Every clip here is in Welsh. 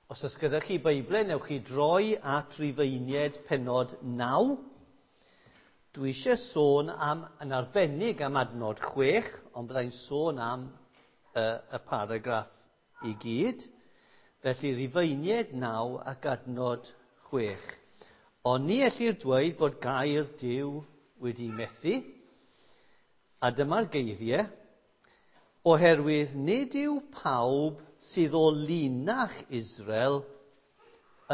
Os oes gyda chi Beiblau, newch chi droi at Rufeiniaid pennod 9. Dwi eisiau sôn am, yn arbennig am adnod 6, ond byddai'n sôn am y, y paragraff i gyd. Felly Rufeiniaid 9 ac adnod 6. Ond ni ellir dweud bod gair Duw wedi methu, a dyma'r geiriau, oherwydd nid yw pawb sydd o linach Israel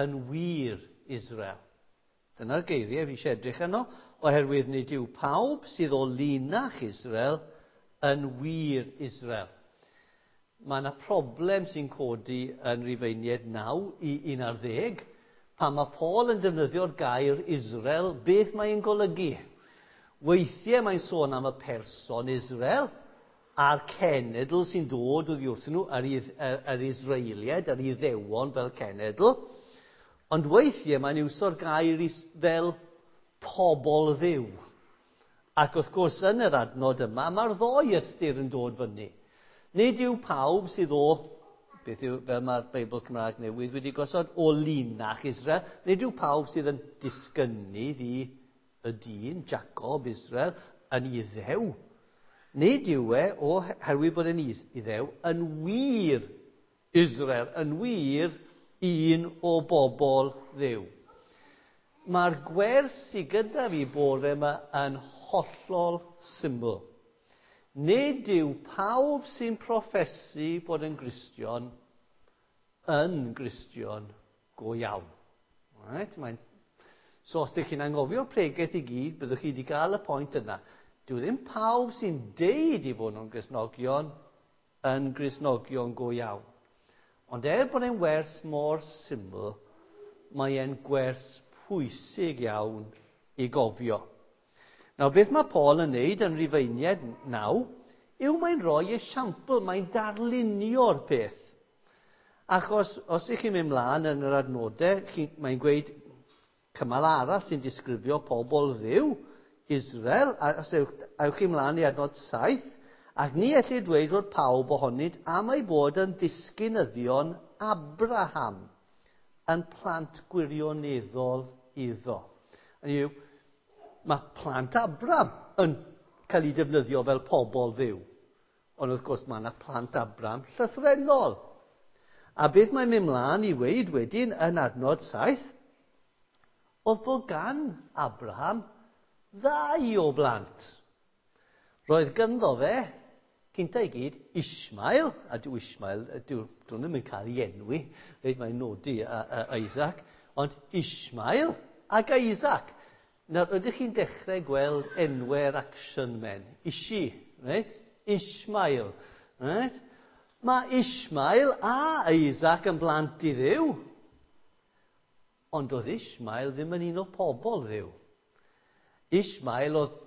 yn wir Israel. Dyna'r geiriau fi eisiau edrych arno, oherwydd nid yw pawb sydd o linach Israel yn wir Israel. Mae yna problem sy'n codi yn Rufeiniaid 9 i 11, pan mae Paul yn defnyddio'r gair Israel, beth mae'n golygu? Weithiau mae'n sôn am y person Israel, a'r cenedl sy'n dod oddi wrthyn nhw, yr, yr, yr Israeliaid, yr Iddewon fel cenedl. Ond weithiau mae'n iwso'r gair fel pobl Dduw. Ac wrth gwrs yn yr adnod yma, mae'r ddou ystyr yn dod fyny. Nid yw pawb sydd o, beth yw, fel mae'r Beibl Cymraeg Newydd wedi gosod, o linach Israel, nid yw pawb sydd yn disgynnydd i y dyn, Jacob, Israel, yn Iddew. Nid yw e, oherwydd bod e'n Iddew, yn wir Israel, yn wir un o bobl Dduw. Mae'r gwers sydd gyda fi bore yma yn hollol syml. Nid yw pawb sy'n proffesu bod yn Gristion yn Gristion go iawn. Right? Mae'n... So os ydych chi'n anghofio'r pregeth i gyd, byddwch chi wedi cael y pwynt yna. Dyw ddim pawb sy'n deud i fod nhw'n Gristnogion yn Gristnogion go iawn. Ond er bod e'n wers mor syml, mae e'n gwers pwysig iawn i gofio. Nawr, beth mae Paul yn neud yn Rufeiniaid 9 yw mae'n rhoi esiampl, mae'n darlunio'r peth. Achos os ych chi'n mynd mlaen yn yr adnodau, mae'n gweud cymal arall sy'n disgrifio pobl Dduw, Israel, a os ewch, ewch chi mlaen i adnod 7, ac ni ellir dweud fod pawb ohonynt am ei bod yn ddisgynyddion Abraham, yn plant gwirioneddol iddo. Hynny yw, mae plant Abraham yn cael eu defnyddio fel pobl Dduw. Ond wrth gwrs mae yna plant Abraham llythrennol. A beth mae'n mynd mlaen i weud wedyn yn adnod 7, oedd bod gan Abraham ddau o blant. Roedd gynddo fe, cynta i gyd, Ishmael, a dyw Ishmael, dyw, dyn nhw'n mynd cael ei enwi, reit mae'n nodi a, a Isaac, ond Ishmael ac Isaac. Nawr, ydych chi'n dechrau gweld enwau'r action men? Ishi, reit? Ishmael, reit? Mae Ishmael a Isaac yn blant i Dduw. Ond oedd Ishmael ddim yn un o pobl Dduw. Ishmael oedd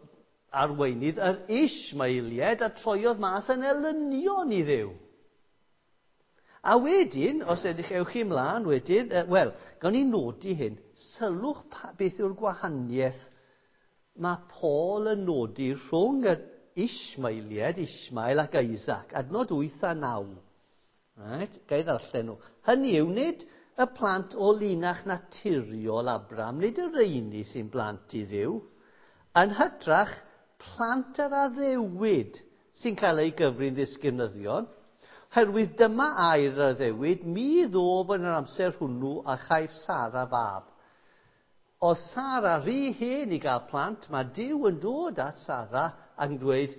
arweinydd yr Ishmaeliaid a troiodd mas yn elynion i Dduw. A wedyn, os edrych ewch chi ymlaen wedyn, wel, gawn ni nodi hyn, sylwch pa, beth yw'r gwahaniaeth mae Paul yn nodi rhwng yr Ishmaeliaid, Ishmael ac Isaac, adnod 8 a 9. Right, ga i ddarllen nhw. Hynny yw, nid y plant o linach naturiol Abraham, nid y rheini sy'n blant i Dduw, yn hytrach plant yr addewid sy'n cael ei gyfri'n ddisgynyddion, Herwydd dyma air yr addewid, mi ddof yn yr amser hwnnw a chaiff Sara fab. Oedd Sara rhy hen i gael plant, mae Duw yn dod at Sara ac yn dweud,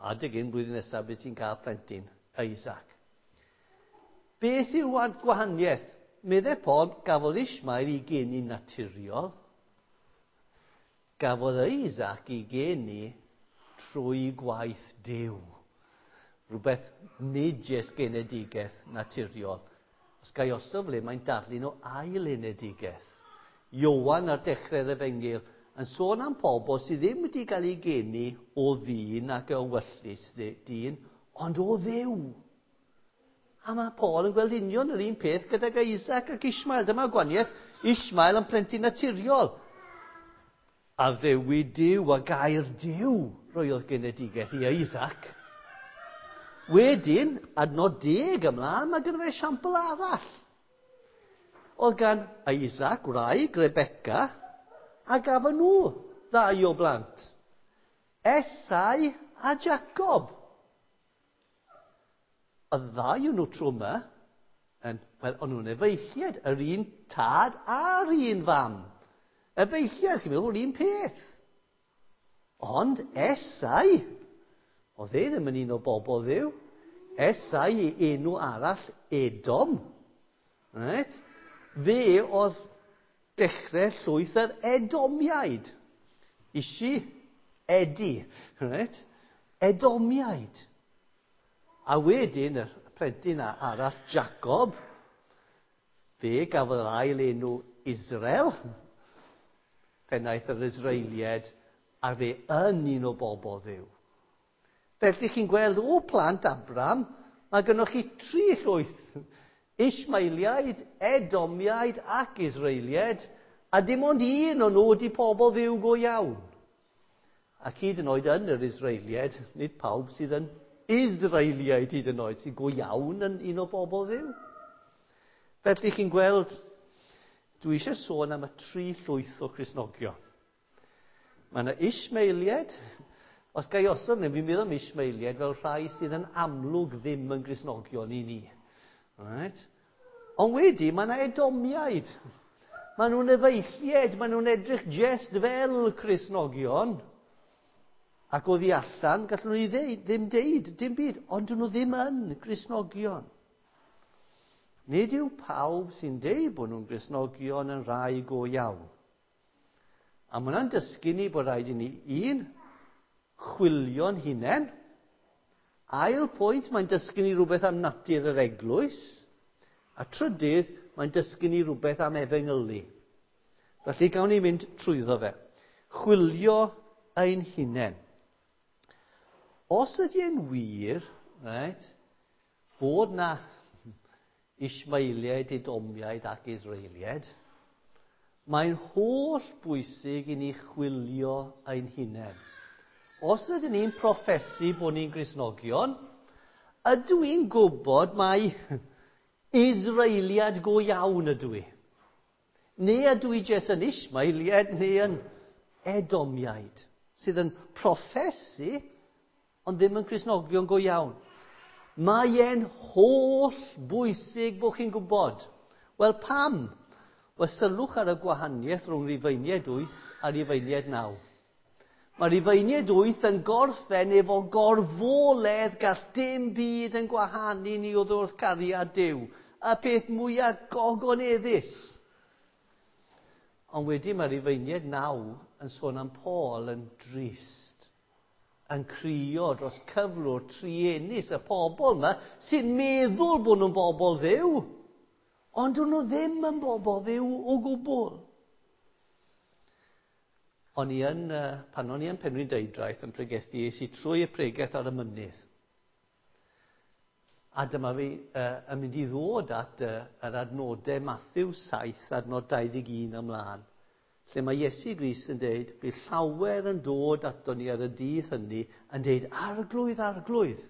adeg hyn blwyddyn nesaf bydd ti'n cael plentyn, Isaac. Beth yw'r gwahaniaeth? Meddai Paul, gafodd Ishmael ei geni naturiol, gafodd Isaac ei geni trwy gwaith Duw. Rhywbeth nid jyst genedigaeth naturiol. Os ga i osod fel hyn, mae'n darlun o ail enedigaeth. Ioan ar dechrau'r efengyl yn sôn am pobl sydd ddim wedi cael ei geni o ddyn ac o ewyllys dyn, ond o Dduw. A mae Paul yn gweld union yr un peth gydag Isaac ac Ishmael. Dyma gwahaniaeth, Ishmael yn plentyn naturiol. A ddewid Duw a gair Duw roiodd genedigaeth i Isaac. Wedyn, adnod 10 ymlaen, mae gynno fe esiampl arall. Oedd gan Isaac wraig Rebecca, a gafon nhw ddau o blant. Esau a Jacob. Y ddau o'n nhw tro yma, yn, wel, o'n nhw'n efeilliaid, yr un tad a'r un fam. Efeilliaid, chi'n meddwl, yr un peth. Ond Esau, oedd e ddim yn un o bobl Dduw. Esau i enw arall, Edom. Right? Fe oedd dechrau llwyth yr Edomiaid. Isi, Edi. Right? Edomiaid. A wedyn, y plentyn arall, Jacob, fe gafodd yr ail enw Israel, pennaeth yr Israeliaid, a fe yn un o bobl Dduw. Felly chi'n gweld o plant Abram, mae gynnoch chi tri llwyth. Ishmaeliaid, Edomiaid ac Israeliaid, a dim ond un o'n nhw wedi pobl Dduw go iawn. Ac hyd yn oed yn yr Israeliaid, nid pawb sydd yn Israeliaid hyd yn oed sydd go iawn yn un o bobl Dduw. Felly chi'n gweld, dwi eisiau sôn am y tri llwyth o Cristnogion. Mae yna Ishmaeliaid. Os ga i osod hyn, fi'n meddwl am Ishmaeliaid fel rhai sydd yn amlwg ddim yn Gristnogion i ni. Right? Ond wedi, mae yna Edomiaid. Maen nhw'n efeilliaid, maen nhw'n edrych jest fel Cristnogion. Ac oddi allan, gallwn nhw ddeud, ddim deud, dim byd, ond dyn nhw ddim yn Gristnogion. Nid yw pawb sy'n deud bod nhw'n Gristnogion yn rhai go iawn. A mae hwnna'n dysgu ni bod rhaid i ni, un, chwilio'n hunain. Ail pwynt, mae'n dysgu ni rhywbeth am natur yr eglwys. A trydydd, mae'n dysgu ni rhywbeth am efengylu. Felly gawn ni mynd trwyddo fe. Chwilio ein hunain. Os ydy e'n wir, right, bod na Ishmaeliaid, Edomiaid ac Israeliaid, mae'n holl bwysig i ni chwilio ein hunain. Os ydyn ni'n proffesu bod ni'n Gristnogion, ydw i'n gwybod mai Israeliad go iawn ydw i? Neu ydw i jyst yn Ishmaeliad neu yn Edomiaid, sydd yn proffesu, ond ddim yn Cristnogion go iawn? Mae e'n holl bwysig bod chi'n gwybod. Wel, pam? Wel, sylwch ar y gwahaniaeth rhwng Rufeiniaid 8 a Rufeiniaid 9. Mae Rufeiniaid 8 yn gorffen efo gorfoledd gall dim byd yn gwahanu ni oddi wrth cariad Duw. Y peth mwyaf gogoneddus. Ond wedyn mae Rufeiniaid 9 yn sôn am Paul yn drist, yn crio dros cyflwr truenus y pobl yma sy'n meddwl bod nhw'n bobl Dduw, ond dyn nhw ddim yn bobl Dduw o gwbl. O'n i yn, pan o'n i yn Penrhyn Deudraeth yn pregethu, es i trwy y pregeth ar y mynydd. A dyma fi yn mynd i ddod at yr adnodau Matthew 7, adnod 21 ymlaen, lle mae Iesu Grist yn deud, bydd llawer yn dod ato ni ar y dydd hynny yn deud, Arglwydd, Arglwydd.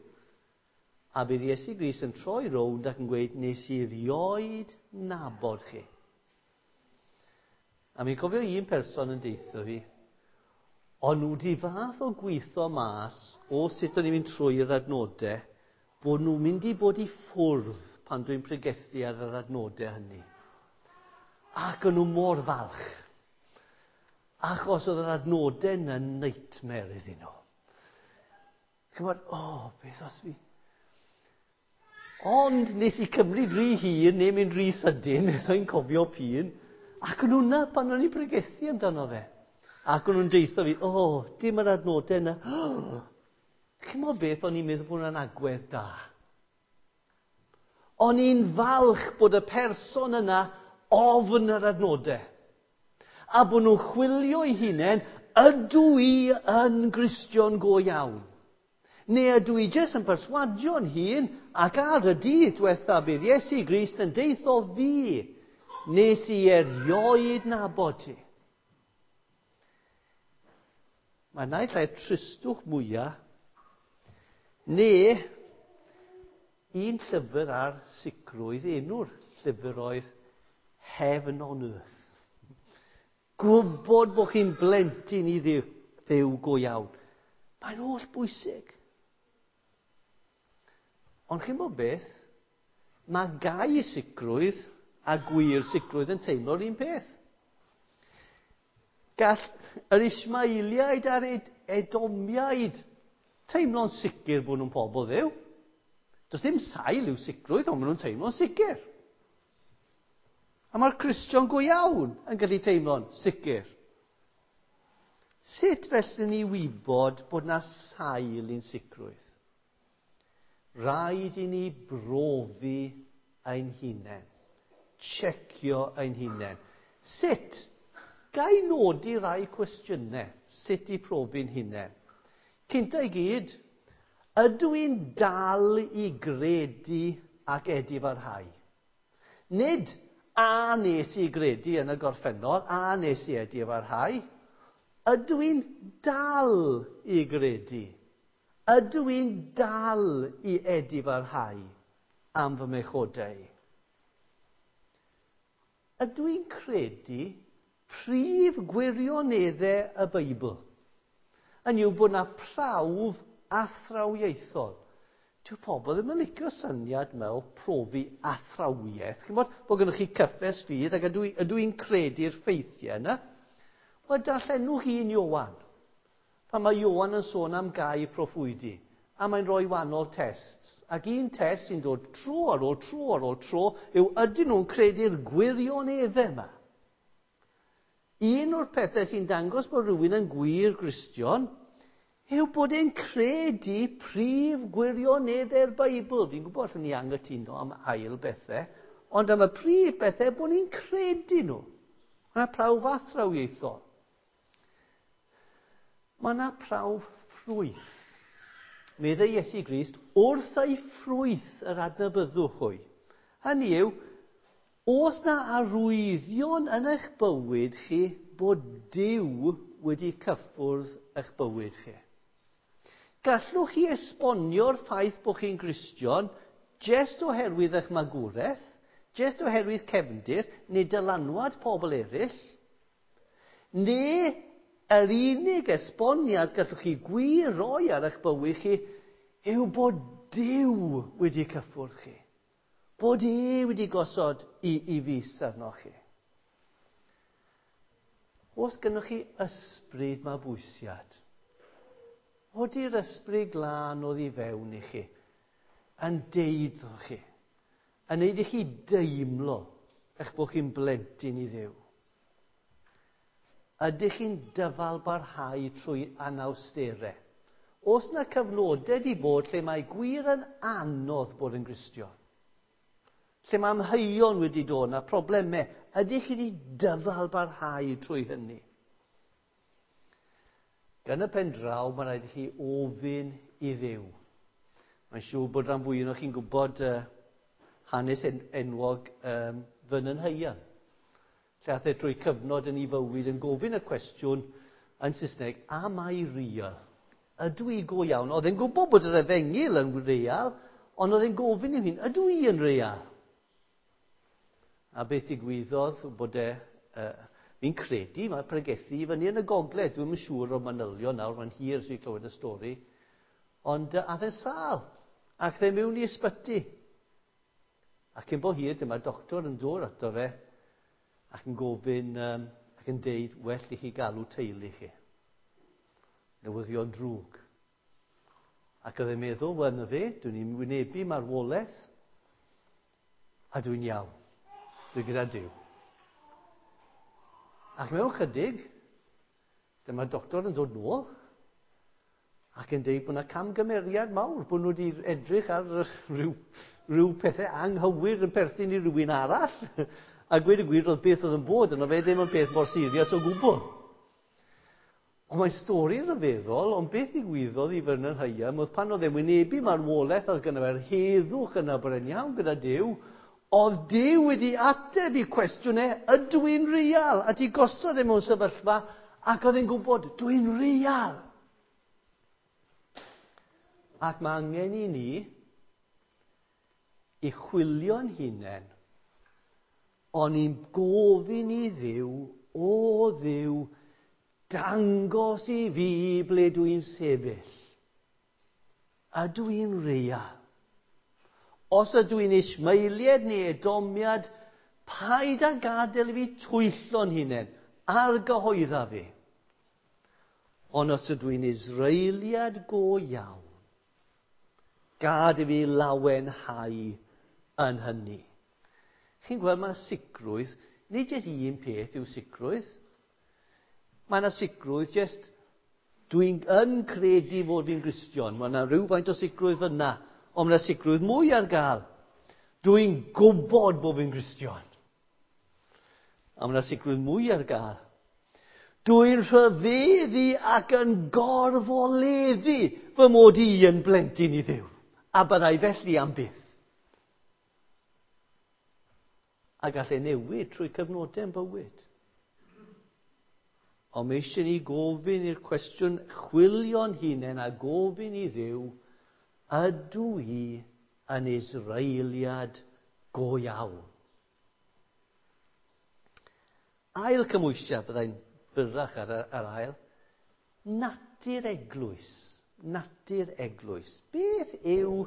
A bydd Iesu Grist yn troi rownd ac yn gweud, nes i rioed nabod chi. A mi'n cofio un person yn deithio fi, o'n nhw wedi fath o gweithio mas o sut o'n i'n mynd trwy'r adnodau, bod nhw'n mynd i bod i ffwrdd pan dwi'n pregethu ar yr adnodau hynny. Ac o'n nhw mor falch. Achos oedd yr adnodau yna'n nightmare iddyn nhw. Chymod, o, beth os fi... Ond nes i cymryd rhy hir neu mynd rhy sydyn, nes i'n cofio p'un, ac o'n nhw'na pan o'n i'n pregethu amdano fe. Ac o'n nhw'n deitho fi, o, dim yr adnodau yna. Chimod beth, o'n i'n meddwl bod hwnna'n agwedd da. O'n i'n falch bod y person yna ofn yr adnodau. A bod nhw'n chwilio eu hunain, ydw i yn Gristion go iawn? Neu ydw i jyst yn perswadio'n hun ac ar y dydd diwetha bydd Iesu Grist yn deitho fi, nes i erioed nabod ti. Mae naill ai'r tristwch mwyaf, neu un llyfr ar sicrwydd, enw'r llyfr oedd Heaven on earth. Gwybod bod chi'n blentyn i Dduw, Dduw go iawn. Mae'n holl bwysig. Ond chi'n bod beth? Mae gau sicrwydd a gwir sicrwydd yn teimlo'r un peth. Gall yr Ismailiaid a'r Edomiaid teimlo'n sicr bod nhw'n pobl Dduw. Does dim sail i'w sicrwydd, ond maen nhw'n teimlo'n sicr. A mae'r Cristion go iawn yn gallu teimlo'n sicr. Sut felly ni wybod bod na sail i'n sicrwydd? Rhaid i ni brofi ein hunain. Checio ein hunain. Sut? Ga i nodi rai cwestiynau sut i profi'n hunain. Cynta i gyd, ydw i'n dal i gredu ac edifarhau? Nid a nes i gredu yn y gorffennol, a nes i edifarhau. Ydw i'n dal i gredu? Ydw i'n dal i edifarhau am fy mechodau? Ydw i'n credu prif gwirioneddau y Beibl? Yn yw bod na prawf athrawiaethol. Dyw pobl ddim yn licio syniad mewn profi athrawiaeth. Chi'n bod, bod gennych chi cyffes ffydd ac ydw i'n credu'r ffeithiau yna? Wel, darllenwch un Ioan. Pan mae Ioan yn sôn am gau proffwydi, a mae'n rhoi wahanol tests. Ac un test sy'n dod tro ar ôl tro ar ôl tro yw ydyn nhw'n credu'r gwirioneddau yma. Un o'r pethau sy'n dangos bod rhywun yn gwir Gristion yw bod e'n credu prif gwirioneddau'r Beibl. Fi'n gwybod allwn ni anghytuno am ail bethau, ond am y prif bethau bod ni'n credu nhw. Mae yna prawf athrawiaethol. Mae yna prawf ffrwyth. Meddai Iesu Grist, wrth ei ffrwyth yr adnabyddwch hwy. Hynny yw, oes na arwyddion yn eich bywyd chi bod Duw wedi cyffwrdd eich bywyd chi? Gallwch chi esbonio'r ffaith bod chi'n Gristion jest oherwydd eich magwraeth, jest oherwydd cefndir neu dylanwad pobl eraill, neu yr unig esboniad gallwch chi gwir roi ar eich bywyd chi yw bod Duw wedi cyffwrdd chi. Bod e wedi gosod i fys arnoch chi. Oes gynnoch chi ysbryd mabwysiad? Ody'r ysbryd glân oddi fewn i chi, yn deud wrthoch chi, yn neud i chi deimlo eich bod chi'n blentyn i Dduw? Ydych chi'n dyfal barhau trwy anawsterau? Oes na cyfnodau di bod lle mae gwir yn anodd bod yn Gristion? Lle mae amheuon wedi dod na problemau, ydych chi wedi dyfal barhau trwy hynny? Gan y pen draw, mae rhaid i chi ofyn i Dduw. Mae'n siŵr bod rhan fwy ohonoch chi'n gwybod hanes enwog Vernon Higham. Lle ath e trwy cyfnod yn ei fywyd yn gofyn y cwestiwn yn Saesneg, am I real? Ydw i go iawn? Oedd e'n gwybod bod yr efengyl yn real, ond oedd e'n gofyn i'w hun, ydw i yn real? A beth digwyddodd bod e, fi'n credu, mae pregethu i fyny yn y gogledd, dwi'm yn siŵr o'r manylion nawr, mae'n hir sy'n clywed y stori, ond ath e'n sâl, ac dde mewn i ysbyty. Ac cyn bo hir, dyma'r doctor yn dod ato fe, ac yn gofyn, ac yn deud, well i chi galw teulu chi. Newyddion drwg. Ac oedd e'n meddwl, wel na fe, dwi'n i'n wynebu marwolaeth, a dwi'n iawn. Dwi gyda Duw. Ac mewn chydig, dyma'r doctor yn dod nôl, ac yn deud bod yna camgymeriad mawr, bod nhw wedi edrych ar rhyw pethau anghywir yn perthyn i rywun arall. A gweud y gwir, oedd beth oedd yn bod yno fe ddim yn peth mor serious o gwbl. Ond mae'n stori ryfeddol, ond beth ddigwyddodd i Vernon Higham oedd pan oedd e'n wynebu marwolaeth, oedd gynno fe'r heddwch yna bod e'n iawn gyda Duw, oedd Duw wedi ateb i cwestiwn e, ydw i'n real? A di gosod e mewn sefyllfa, ac oedd e'n gwybod, dwi'n real. Ac mae angen i ni i chwilio'n hunain. O'n i'n gofyn i Dduw, o Dduw, dangos i fi ble dwi'n sefyll. Ydw i'n real? Os ydw i'n Ismaeliad neu Edomiad, paid â gadael i fi twyllo'n hunain, argyhoedda fi. Ond os ydw i'n Israeliad go iawn, gad i fi lawenhau yn hynny. Chi'n gweld, mae sicrwydd, nid jyst un peth yw sicrwydd. Mae yna sicrwydd jyst, dwi'n yn credu fod fi'n Gristion. Mae yna rhywfaint o sicrwydd fyna, ond mae yna sicrwydd mwy ar gael. Dwi'n gwybod bod fi'n Gristion. A mae yna sicrwydd mwy ar gael. Dwi'n rhyfeddu ac yn gorfoleddu fy mod i yn blentyn i Dduw. A byddai felly am byth. A gall e newid trwy cyfnodau yn bywyd. Ond mae eisiau ni gofyn i'r cwestiwn chwilio'n hunain a gofyn i Dduw, ydw i yn Israeliad go iawn? Ail cymhwysiad, byddai'n byrrach ar yr ail, natur eglwys. Natur eglwys. Beth yw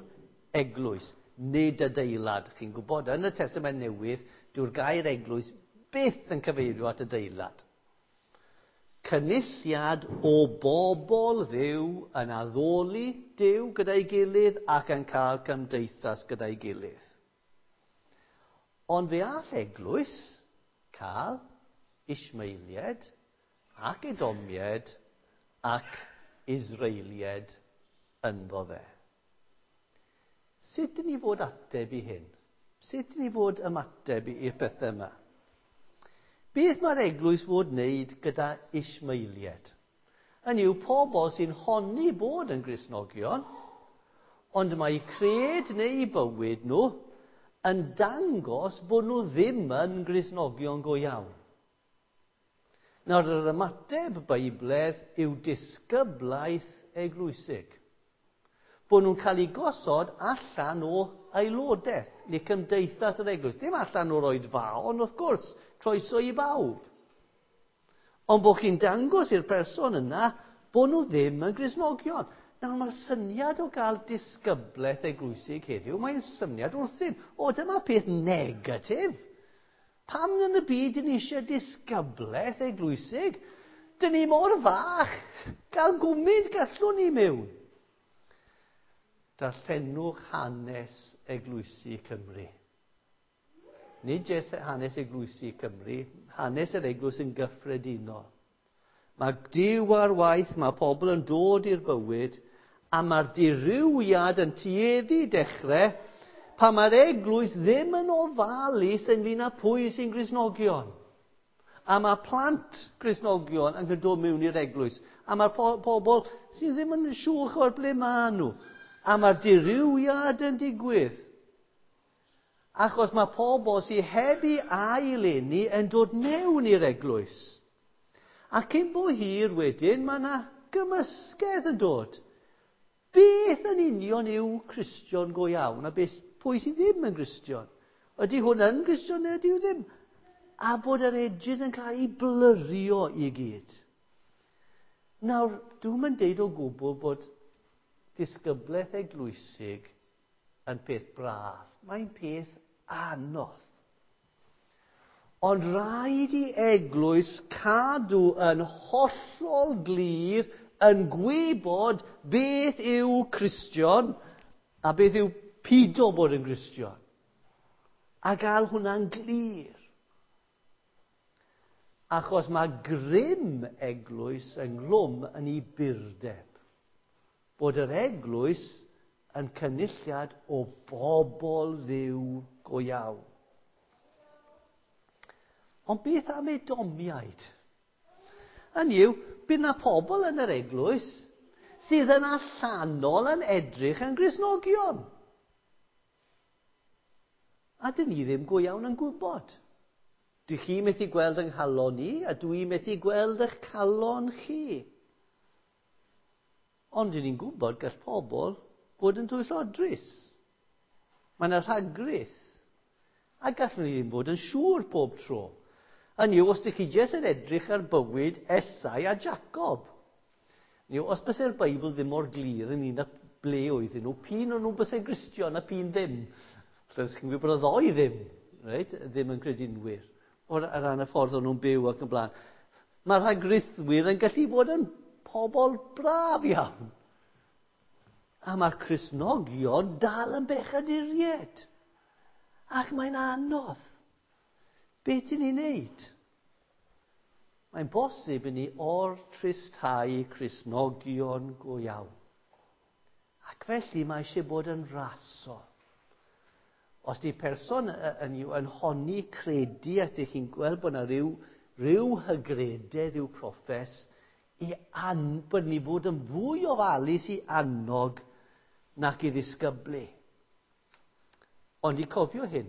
eglwys? Nid adeilad. Chi'n gwybod, yn y Testament Newydd, dyw'r gair eglwys byth yn cyfeirio at adeilad. Cynulliad o bobl Dduw yn addoli Duw gyda'i gilydd ac yn cael cymdeithas gyda'i gilydd. Ond fe all eglwys cael Ismaeliaid ac Edomiaid ac Israeliaid ynddo fe. Sut dyn ni fod ateb i hyn? Sut dyn ni fod ymateb i'r pethau yma? Beth mae'r eglwys fod wneud gyda Ismaeliaid? Hynny yw pobl sy'n honni bod yn Gristnogion, ond mae cred neu bywyd nhw yn dangos bod nhw ddim yn Gristnogion go iawn. Nawr, yr ymateb Beibledd yw disgyblaeth eglwysig. Bod nhw'n cael eu gosod allan o aelodaeth neu cymdeithas yr eglwys. Dim allan o'r oedfaon, wrth gwrs, croeso i bawb. Ond bod chi'n dangos i'r person yna bod nhw ddim yn Gristnogion. Nawr, mae'r syniad o gael disgyblaeth eglwysig heddiw, mae'n syniad wrthyn. O, dyma peth negatif. Pam yn y byd dyn ni eisiau disgyblaeth eglwysig? Dyn ni mor fach, gael gwmyd gallwn ni mewn. Darllenwch hanes eglwysi Cymru. Nid jyst hanes eglwysi Cymru, hanes yr eglwys yn gyffredinol. Mae Duw ar waith, mae pobl yn dod i'r bywyd, a mae'r dirywiad yn tueddu dechrau pan mae'r eglwys ddim yn ofalus ynglyn â pwy sy'n Gristnogion. A mae plant Gristnogion yn dod mewn i'r eglwys. A mae'r pobl sydd ddim yn siŵr o'r ble maen nhw. A mae'r dirywiad yn digwydd. Achos mae pobl sydd heb ei aileni yn dod mewn i'r eglwys. A cyn bo hir wedyn, mae yna gymysgedd yn dod. Beth yn union yw Cristion go iawn a beth, pwy sydd ddim yn Gristion? Ydy hwn yn Gristion neu ydy ddim? A bod yr edges yn cael ei blyrio i gyd. Nawr, dwi'm yn deud o gwbl bod disgyblaeth eglwysig yn peth braf. Mae'n peth anodd. Ond rhaid i eglwys cadw yn hollol glir yn gwybod beth yw Cristion a beth yw pido bod yn Gristion. A gael hwnna'n glir. Achos mae grym eglwys ynghlwm yn ei burdeb. Bod yr eglwys yn cynulliad o bobl Dduw go iawn. Ond beth am Edomiaid? Hynny yw, bydd na pobl yn yr eglwys sydd yn allanol yn edrych yn Gristnogion. A dyn ni ddim go iawn yn gwybod. Dych chi methu gweld yng nghalon ni, a dwi methu gweld eich calon chi. Ond dyn ni'n gwybod gall pobl fod yn twyllodrus. Mae yna rhagrith. A gallwn ni ddim fod yn siŵr pob tro. Hynny yw, os ydych chi jyst yn edrych ar bywyd Esau a Jacob. Hynny yw, os byse'r Beibl ddim mor glir ynglyn â ble oedden nhw, p'un o'n nhw'n byse'n Gristion a p'un ddim. Felly, os chi'n gwybod bod y ddoi ddim, reit, ddim yn credinwyr, o'r ran y ffordd o'n nhw'n byw ac yn blaen. Mae rhagrithwyr yn gallu bod yn pobl braf iawn. A mae'r Cristnogion dal yn bechaduriaid. Ac mae'n anodd. Be ti'n ei wneud? Mae'n bosib i ni or-tristhau Cristnogion go iawn. Ac felly mae eisiau bod yn rasol. Os di person yn honni credu ac ydych chi'n gweld bod yna rhyw hygrededd i'w proffes, bod ni fod yn fwy ofalus i annog nac i ddisgyblu. Ond i cofio hyn,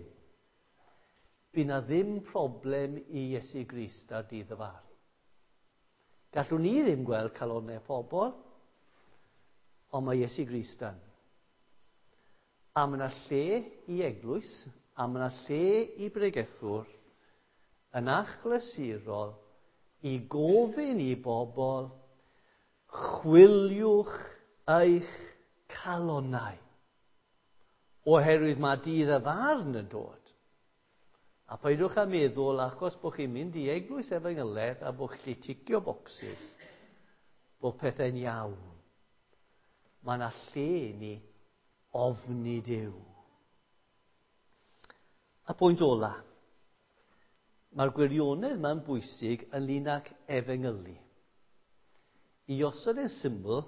bu na ddim problem i Iesu Grist ar dydd y farn. Gallwn ni ddim gweld calonnau pobl, ond mae Iesu Grist yn. A mae yna lle i eglwys, a mae yna lle i bregethwr yn achlysurol i gofyn i bobl, chwiliwch eich calonnau. Oherwydd mae dydd y farn yn dod. A peidiwch â meddwl, achos bod chi'n mynd i eglwys efengylaidd a bod chi'n ticio bocsys, bod pethau'n iawn. Mae yna lle i ni ofni Duw. A pwynt ola, mae'r gwirionedd yma'n bwysig ynglyn ag efengylu. I osod yn syml,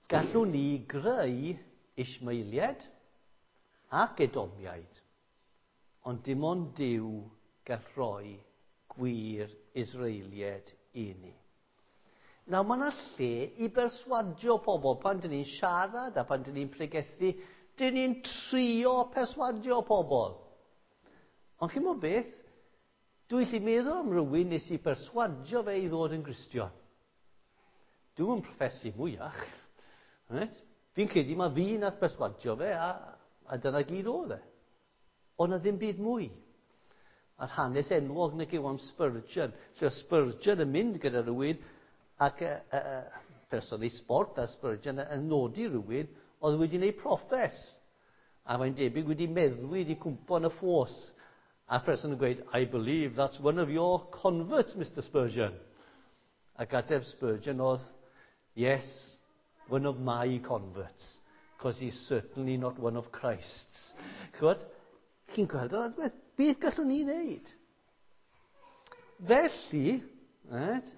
gallwn ni greu Ismaeliaid ac Edomiaid, ond dim ond Duw gall rhoi gwir Israeliaid i ni. Nawr, mae yna lle i berswadio pobl. Pan dyn ni'n siarad a pan dyn ni'n pregethu, dyn ni'n trio perswadio pobl. Ond chi'n gwybod beth? Dwi'n gallu meddwl am rywun nes i perswadio fe i ddod yn Gristion. Dwi'm yn proffesu mwyach. Right? Fi'n credu mae fi nath perswadio fe a dyna gyd oedd e. Ond na ddim byd mwy. A'r hanes enwog nag yw am Spurgeon. Lle oedd Spurgeon yn mynd gyda rhywun ac person ei sport a Spurgeon yn nodi rhywun oedd wedi gwneud proffes. A mae'n debyg wedi meddwi, wedi cwmpo yn y ffos. A'r person yn gweud, I believe that's one of your converts, Mr Spurgeon. Ac ateb Spurgeon oedd, yes, one of my converts, because he's certainly not one of Christ's. Ch'mod? Chi'n gweld yr adwaith? Beth gallwn ni wneud? Felly, right,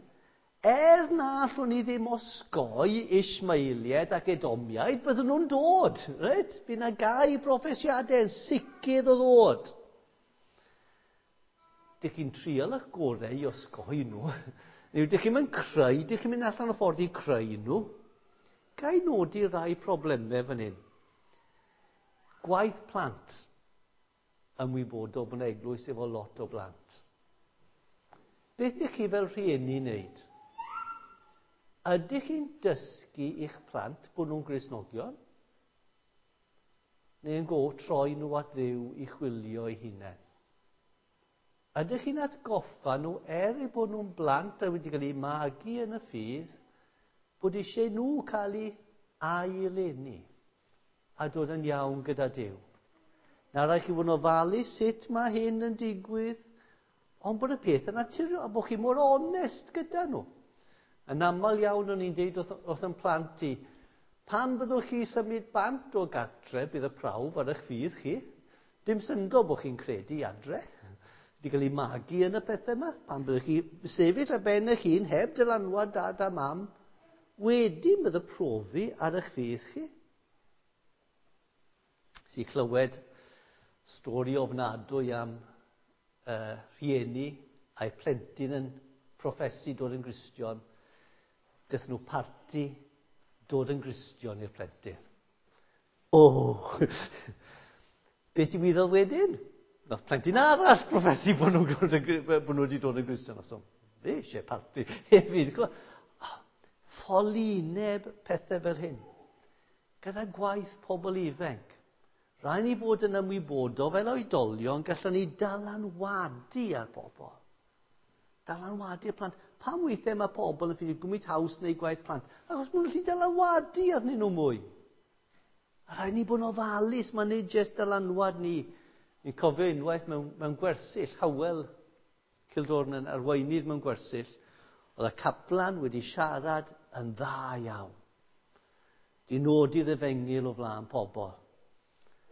na allwn ni ddim osgoi Ismaeliaid ac Edomiaid, byddwn nhw'n dod. Right? Bydd yna gau broffesiadau yn sicr o ddod. Dych chi'n trial eich gorau i osgoi nhw. Neu dych chi'n mynd creu, dych chi'n mynd allan o ffordd i creu nhw. Ga i nodi rai problemau fan hyn. Gwaith plant. Ymwybodol bod yna eglwys efo lot o blant. Beth ydych chi fel rhieni wneud? Ydych chi'n dysgu i'ch plant bod nhw'n Gristnogion? Neu yn go troi nhw at Dduw i chwilio eu hunain? Ydych chi'n atgoffa nhw, er eu bod nhw'n blant a wedi cael eu magu yn y ffydd, bod eisiau nhw cael eu aileni a dod yn iawn gyda Duw? Na rhaid chi fod yn ofalus sut mae hyn yn digwydd, ond bod y peth yn naturiol, a bod chi mor onest gyda nhw. Yn aml iawn o'n i'n deud wrth yn plant i, pan byddwch chi symud bant o gartre, bydd y prawf ar eich ffydd chi. Dim syndod bod chi'n credu adre. Wedi cael ei magu yn y pethau yma. Pan byddwch chi sefyll ar ben eich hun, heb dylanwad dad a mam, wedyn bydd y profi ar eich ffydd chi. Si clywed stori ofnadwy am rhieni a'i plentyn yn proffesu dod yn Gristion. Daeth nhw parti dod yn Gristion i'r plentyn. O! Beth digwyddodd wedyn? Nath plentyn arall proffesu bod nhw wedi dod yn Gristion. So, fe eisiau parti hefyd. Ffolineb pethau fel hyn. Gyda gwaith pobl ifanc. Rhaid ni fod yn ymwybodol fel oedolion, gallwn ni dylanwadu ar bobl. Dylanwadu ar plant. Pam weithiau mae pobl yn ffeindio gwmyd haws neu gwaith plant? Achos maen nhw'n gallu dylanwadu arnyn nhw mwy. A rhaid ni bod yn ofalus, mae'n nid jyst dylanwad ni. Ni'n cofio unwaith mewn gwersyll, Hywel Cildorn yn arweinydd mewn gwersyll, oedd y caplan wedi siarad yn dda iawn. Di nodi'r efengyl o flaen pobl.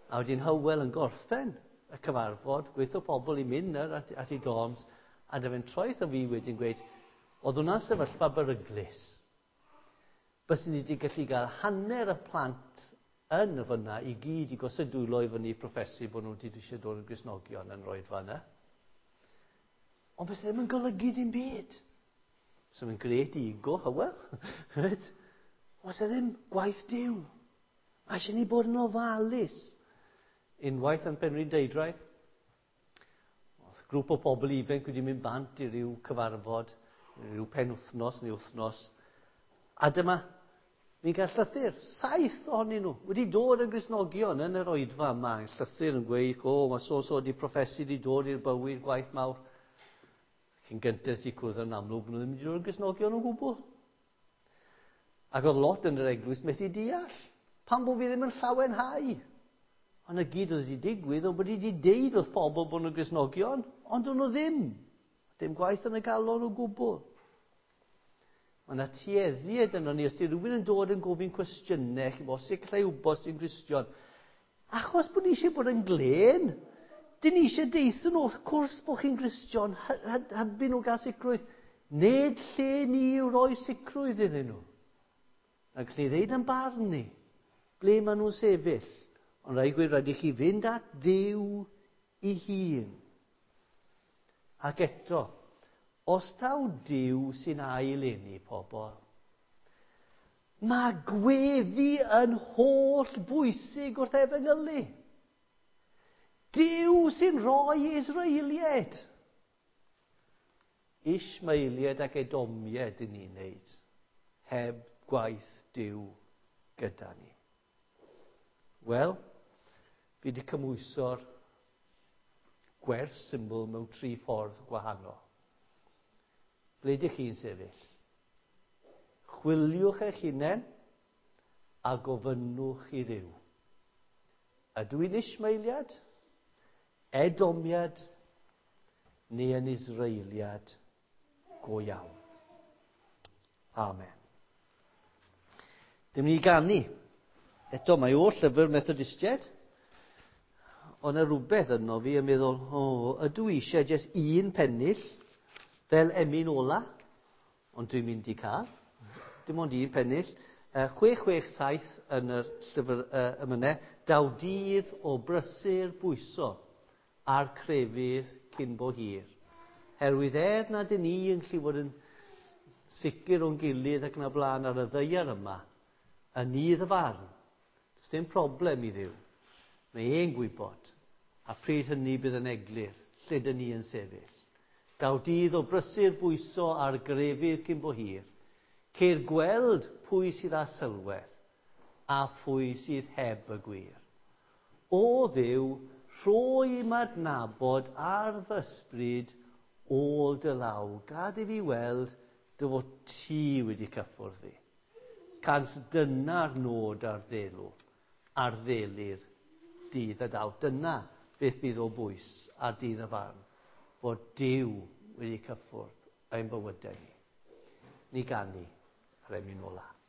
A wedyn Hywel yn gorffen y cyfarfod, gweithio pobl i mynd ar at ei dorms, a dyfe'n troeth o fi wedyn gweud, oedd hwnna'n sefyllfa beryglus. Byswn ni wedi gallu gael hanner y plant yn y fyna i gyd i gosod dwylo i fyny proffesu bod nhw wedi eisiau dod yn Gristnogion yn roed fanna. Ond bys ddim yn golygu ddim byd. So mae'n gret ego, Hywel. Right? Os e ddim gwaith Duw. A eisiau ni bod yn ofalus. Unwaith yn Penrhyn Deudraeth, oedd grŵp o bobl ifanc wedi mynd bant i ryw cyfarfod, ryw penwythnos neu wythnos. A dyma, fi'n cael llythyr, 7 ohonyn nhw, wedi dod yn Gristnogion yn yr oedfa yma. Llythyr yn gweud, o, mae so-so wedi proffesu, wedi dod i'r bywyd, gwaith mawr. Cyn gyntaf sy'n cwrdd yn amlwg, nhw ddim wedi dod yn Gristnogion o gwbl. Ac oedd lot yn yr eglwys methu deall. Pam bod fi ddim yn llawenhau? Ond y gyd oedd wedi digwydd, oedd bod wedi deud wrth pobl bod nhw'n Gristnogion, ond o'n nhw ddim. Dim gwaith yn y galon o gwbl. Mae yna tueddiad yno ni, os di rhywun yn dod yn gofyn cwestiynau, chi'n bod, sut gallai wybod os ti'n Gristion? Achos bod ni eisiau bod yn glên. Dyn ni eisiau deithio nhw, wrth cwrs bod chi'n Gristion, hybu nhw gael sicrwydd. Nid lle ni yw roi sicrwydd iddyn nhw. A gallu ddeud yn barn ni, ble maen nhw'n sefyll. Ond rhaid gweud, rhaid i chi fynd at Dduw ei hun. Ac eto, os taw Duw sy'n ail-eni pobl, mae gweddi yn holl bwysig wrth efengylu. Duw sy'n rhoi Israeliaid. Ishmaeliaid ac Edomiaid i ni'n neud, heb gwaith Duw gyda ni. Wel, fi wedi cymhwyso'r gwers syml mewn 3 ffordd gwahanol. Ble ydych chi'n sefyll? Chwiliwch eich hunain a gofynnwch i Dduw. Ydw i'n Ishmaeliad, Edomiad neu yn Israeliad go iawn? Amen. Dim ni ganu. Eto, mae o'r llyfr Methodistiaid. Ond yna rhywbeth yno fi yn meddwl, o, ydw i eisiau jyst un pennill fel emyn ola, ond dwi'n mynd i cael. Dim ond un pennill. 667 yn yr llyfr emynau. Daw dydd o brysur bwyso a'r crefydd cyn bo hir. Herwydd er nad ydyn ni yn gallu fod yn sicr o'n gilydd ac yn y blaen ar y ddaear yma, yn nydd y farn, does dim problem i Dduw. Mae e'n gwybod, a pryd hynny bydd yn eglur, lle dyn ni yn sefyll. Daw dydd o brysur bwyso ar grefydd cyn bo hir, ceir gweld pwy sydd â sylwedd a phwy sydd heb y gwir. O Dduw, rhoi im adnabod ar fy ysbryd ôl dy law, gad i fi weld dy fod ti wedi cyffwrdd fi. Cans dyna'r nod ar ddelw, ar ddelu'r dydd a daw. Dyna beth bydd o bwys ar dydd y farn, fod Duw wedi cyffwrdd ein bywydau ni. Ni ganu ar emyn ola.